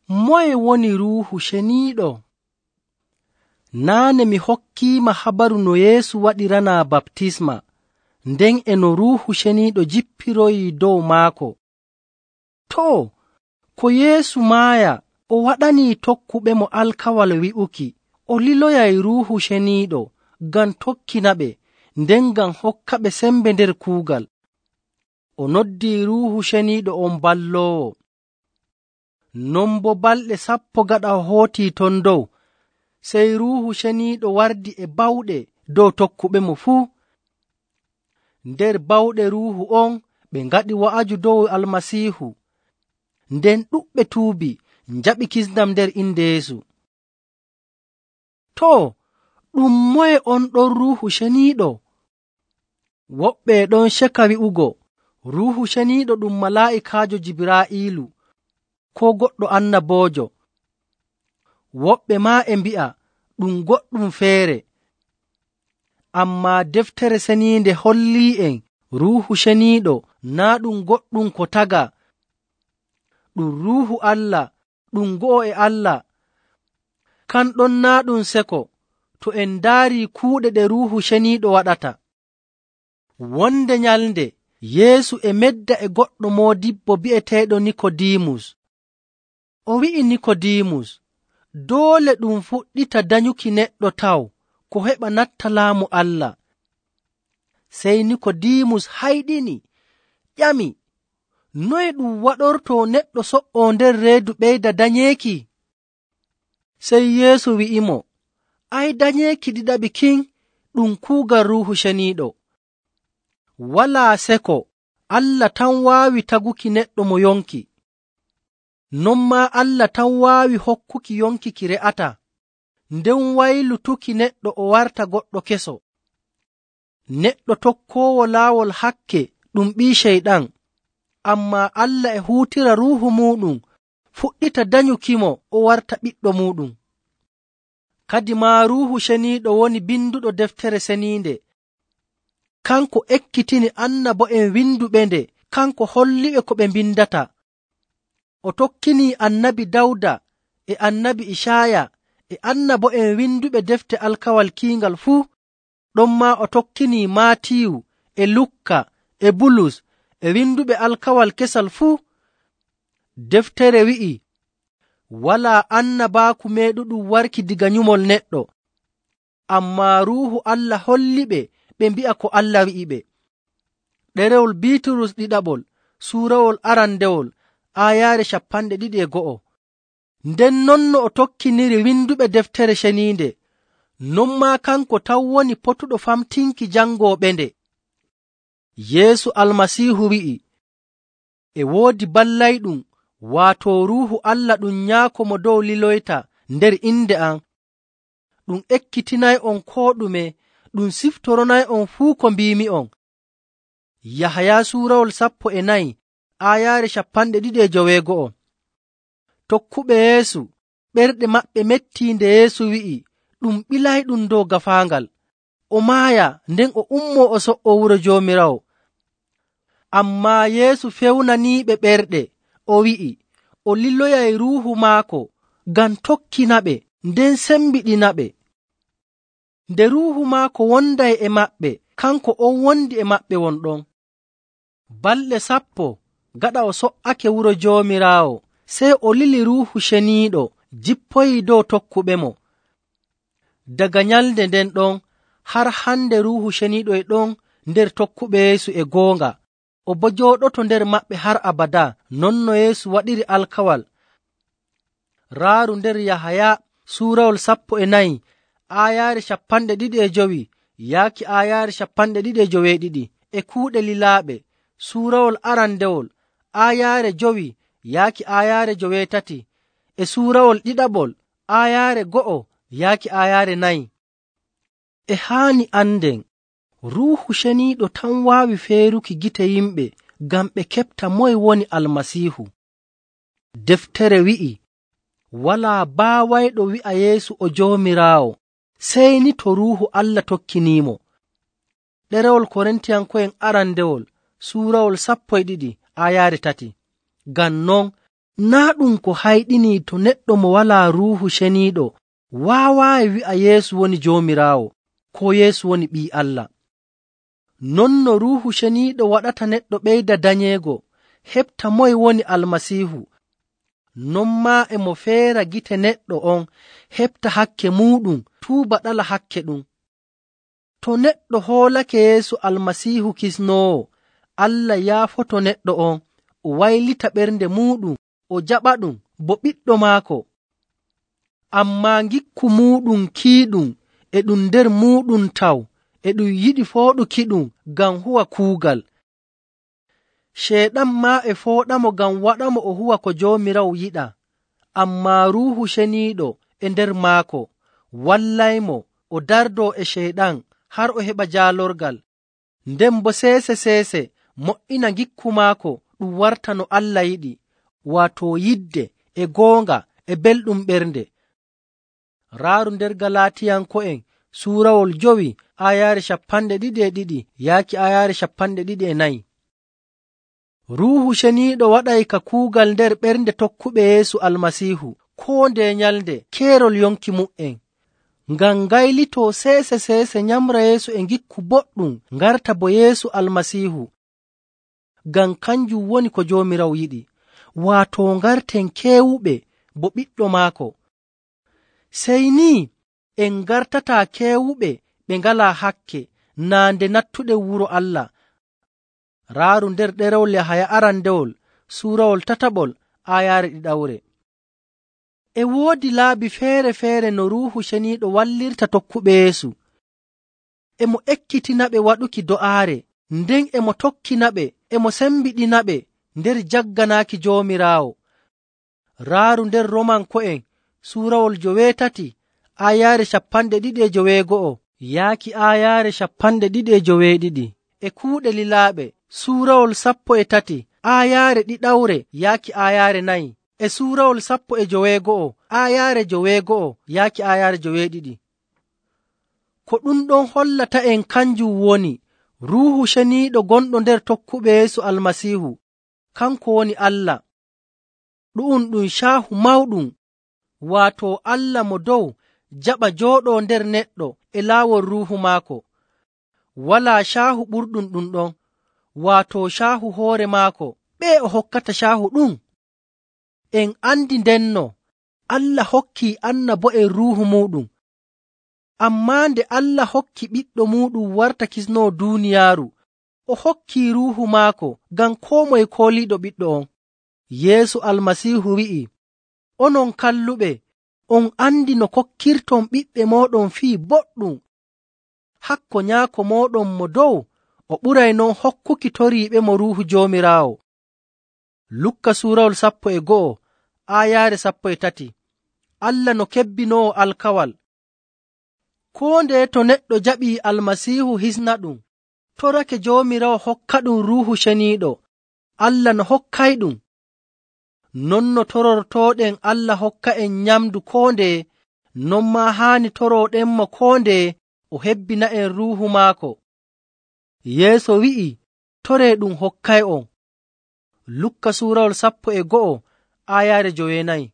Moye woni Ruuhu Ceniiɗo? Naane mi hokkiima habaru no Yeesu waɗiranaa baptisma, nden e no Ruuhu Ceniiɗo jippiroyii dow maako. Too, ko Yeesu maaya, o waɗanii tokkuɓemo alkawal wi'uki o liloyay Ruuhu Ceniiɗo ngam tokkinaɓe, nden ngam hokkaɓe sembe nder kuugal. O noddii Ruuhu Ceniiɗo on balloowo. Non boo balɗe 10 gaɗa o hootii ton dow, sey Ruuhu Ceniiɗo wardi e bawɗe dow tokkuɓemo fuu. Nder bawɗe Ruuhu on ɓe ngaɗi wa'aju dow Almasiihu, nden ɗuɗɓe tuubi njaɓi kisndam nder inde Yeesu. Too, ɗum moye on ɗon Ruuhu Ceniiɗo? Woɓɓe e ɗon ceka wi'ugo Ruuhu Ceniiɗo ɗum malaa'ikaajo Jibraa'iilu koo goɗɗo annaboojo. Woɓɓe maa e mbi'a ɗum goɗɗum feere. Ammaa Deftere Ceniinde hollii'en Ruuhu Ceniiɗo naa' ɗum goɗɗum ko tagaa. Ɗum Ruuhu Allah, ɗum go'o e Allah. Kanɗon naa' ɗum seko to en ndaarii kuuɗe ɗe Ruuhu Ceniiɗo waɗata. Wonde nyalnde Yeesu e medda e goɗɗo moodibbo bi'eteeɗo Nikodiimus. O wi'i Nikodiimus, doole ɗum fuɗɗita danyuki neɗɗo taw ko heɓa natta laamu Allah. Sey Nikodiimus hayɗini, ƴami, noye ɗum waɗortoo neɗɗo so''oo nder reedu ɓeyda danyeeki? Sey Yeesu wi'imo, danyeeki ɗiɗaɓi kin ɗum kuugal Ruuhu Ceniiɗo. Walaa seko Allah tan waawi taguki neɗɗo mo yonki. Non maa Allah tan waawi hokkuki yonki ki re'ataa, nden waylutuki neɗɗo o warta goɗɗo keso. Neɗɗo tokkoowo laawol hakke ɗum ɓii Ceyɗan, ammaa Allah e huutira Ruuhu muuɗum fuɗɗita danyukimo o warta ɓiɗɗo muuɗum. Kadi maa Ruuhu Ceniiɗo woni binduɗo Deftere Ceniinde. Kanko ekkitini annabo'en winduɓe nde, kanko holliɓe ko ɓe mbindata. O tokkinii annabi Dawda e annabi Icaaya e annabo'en winduɓe defte alkawal kiingal fuu. Ɗonmaa o tokkinii Maatiyu e Lukka e Bulus e winduɓe alkawal kesal fuu. Deftere wi'i, walaa annabaaku meeɗuɗum warki diga nyumol neɗɗo, ammaa Ruuhu Allah holliɓe ɓe mbi'a ko Allah wi'iɓe. Ɗerewol Biiturus ɗiɗaɓol suurawol arandewol aayaare 21. Nden non no o tokkiniri winduɓe Deftere Ceniinde, non maa kanko taw woni potuɗo famtinki jangooɓe nde. Yeesu Almasiihu wi'i, e woodi ballayɗum, waato Ruuhu Allah ɗum Nyaako mo dow liloyta nder inde am. Ɗum ekkitinay'on koo ɗume, ɗum siftoronay'on fuu ko mbiimi'on. Yahaya suurawol 14 aayaare 22. Tokkuɓe Yeesu ɓerɗe maɓɓe mettii nde Yeesu wi'i ɗum ɓilayɗum dow gaafaangal, o maaya nden o ummoo o so''o wuro Joomiraawo. Ammaa Yeesu fewnaniiɓe ɓerɗe, o wi'i o liloyay Ruuhu maako ngam tokkinaɓe nden sembiɗinaɓe. Nde Ruuhu maako wonday e maɓɓe, kanko on wondi e maɓɓe wonɗon. Balɗe 10 gaɗa o so''ake wuro Joomiraawo, sey o lili Ruuhu Ceniiɗo jippoyii dow tokkuɓemo. Daga nyalnde nden ɗon har hande Ruuhu Ceniiɗo e ɗon nder tokkuɓe Yeesu e goonga, o boo jooɗoto nder maɓɓe har abadaa, non no Yeesu waɗiri alkawal. Raaru nder Yahaya suurawol 14 aayaare 25 yaaki aayaare 22 e kuuɗe lilaaɓe suurawol arandewol aayaare 5 yaaki aayaare 3 e suurawol ɗiɗaɓol aayaare 1 yaaki aayaare 4. E haani anden Ruuhu Ceniiɗo tan waawi feeruki gite yimɓe ngam ɓe keɓta moye woni Almasiihu. Deftere wi'i, walaa baawayɗo wi'a Yeesu o Joomiraawo sey ni to Ruuhu Allah tokkiniimo. Ɗerewol Korintiyanko'en arandewol suurawol 12 aayaare 3. Ngam non Naa ɗum ko hayɗinii to neɗɗo mo walaa Ruuhu Ceniiɗo waawaayi wi'a Yeesu woni Joomiraawo, koo Yeesu woni Ɓii Allah. Non no Ruuhu Ceniiɗo waɗata neɗɗo ɓeyda danyeego heɓta moye woni Almasiihu, non maa e mo feera gite neɗɗo on heɓta hakke muuɗum tuuba ɗala hakke ɗum. To neɗɗo hoolake Yeesu Almasiihu Kisnoowo, Allah yaafoto neɗɗo on, o waylita ɓernde muuɗum, o jaɓaɗum bo ɓiɗɗo maako. Ammaa ngikku muuɗum kiiɗum e ɗum nder muuɗum taw e ɗum yiɗi fooɗukiɗum ngam huwa kuugal. Ceyɗan maa e fooɗamo ngam waɗamo o huwa ko Joomiraawo yiɗaa, ammaa Ruuhu Ceniiɗo e nder maako wallaymo o dardoo e Ceyɗan har o heɓa jaalorgal, nden boo seese mo''ina ngikku maako ɗum warta no Allah yiɗi, waato yidde e goonga e belɗum ɓernde. Raaru nder Galaatiyanko'en suurawol 5 aayaare 22 yaaki aayaare 24. Ruuhu Ceniiɗo waɗay ka kuugal nder ɓernde tokkuɓe Yeesu Almasiihu koo ndeye nyalnde keerol yonki mu''en, ngam ngaylitoo seese nyamra Yeesu e ngikku boɗɗum ngarta bo Yeesu Almasiihu, ngam kanjum woni ko Joomiraawo yiɗi, waato ngarten keewuɓe bo ɓiɗɗo maako. Sey ni en ngartataa keewuɓe ɓe ngalaa hakke naa nde nattuɗen wuro Allah. Raaru nder ɗerewol Yahaya arandewol suurawol 3 aayaare 2. E woodi laabi feere-feere no Ruuhu Ceniiɗo wallirta tokkuɓe Yeesu. E mo ekkitinaɓe waɗuki do'aare, nden e mo tokkinaɓe, e mo sembiɗinaɓe nder jagganaaki Joomiraawo. Raaru nder Romanko'en suurawol 3 aayaare 29 yaaki aayaare 22. E kuuɗe lilaaɓe suurawol 13 aayaare 2 yaaki aayaare 4. E suurawol 19 aayaare 9 yaaki aayaare 9. Ko ɗum ɗon hollata en kanjum woni Ruuhu Ceniiɗo gonɗo nder tokkuɓe Yeesu Almasiihu, kanko woni Allah. Ɗu'um ɗum caahu mawɗum, waato Allah mo dow jaɓa jooɗoo nder neɗɗo e laawol Ruuhu maako. Walaa caahu ɓurɗum ɗum ɗon, waato caahu hoore maako. Ɓee o hokkata caahu ɗum? En andi ndenno Allah hokkii annabo'en Ruuhu muuɗum. Ammaa nde Allah hokki ɓiɗɗo muuɗum warta kisnoowo duuniyaaru, o hokkii Ruuhu maako ngam koo moye kooliiɗo ɓiɗɗo on. Yeesu Almasiihu wi'i, onon kalluɓe, on andi no kokkirton ɓiɓɓe mooɗon fii boɗɗum. Hakko Nyaako mooɗon mo dow o ɓuray non hokkuki toriiɓemo Ruuhu Joomiraawo. Lukka suurawol 11 aayaare 13. Allah no kebbinoowo alkawal. Koo ndeye to neɗɗo jaɓii Almasiihu hisna ɗum, torake Joomiraawo hokka ɗum Ruuhu Ceniiɗo, Allah no hokkayɗum. Non no torortooɗen Allah hokka en nyamdu koo ndeye, non maa haani torooɗenmo koo ndeye o hebbina'en Ruuhu maako. Yeeso wi'i, toree ɗum hokkay'on. Lukka suurawol 11 aayaare 9.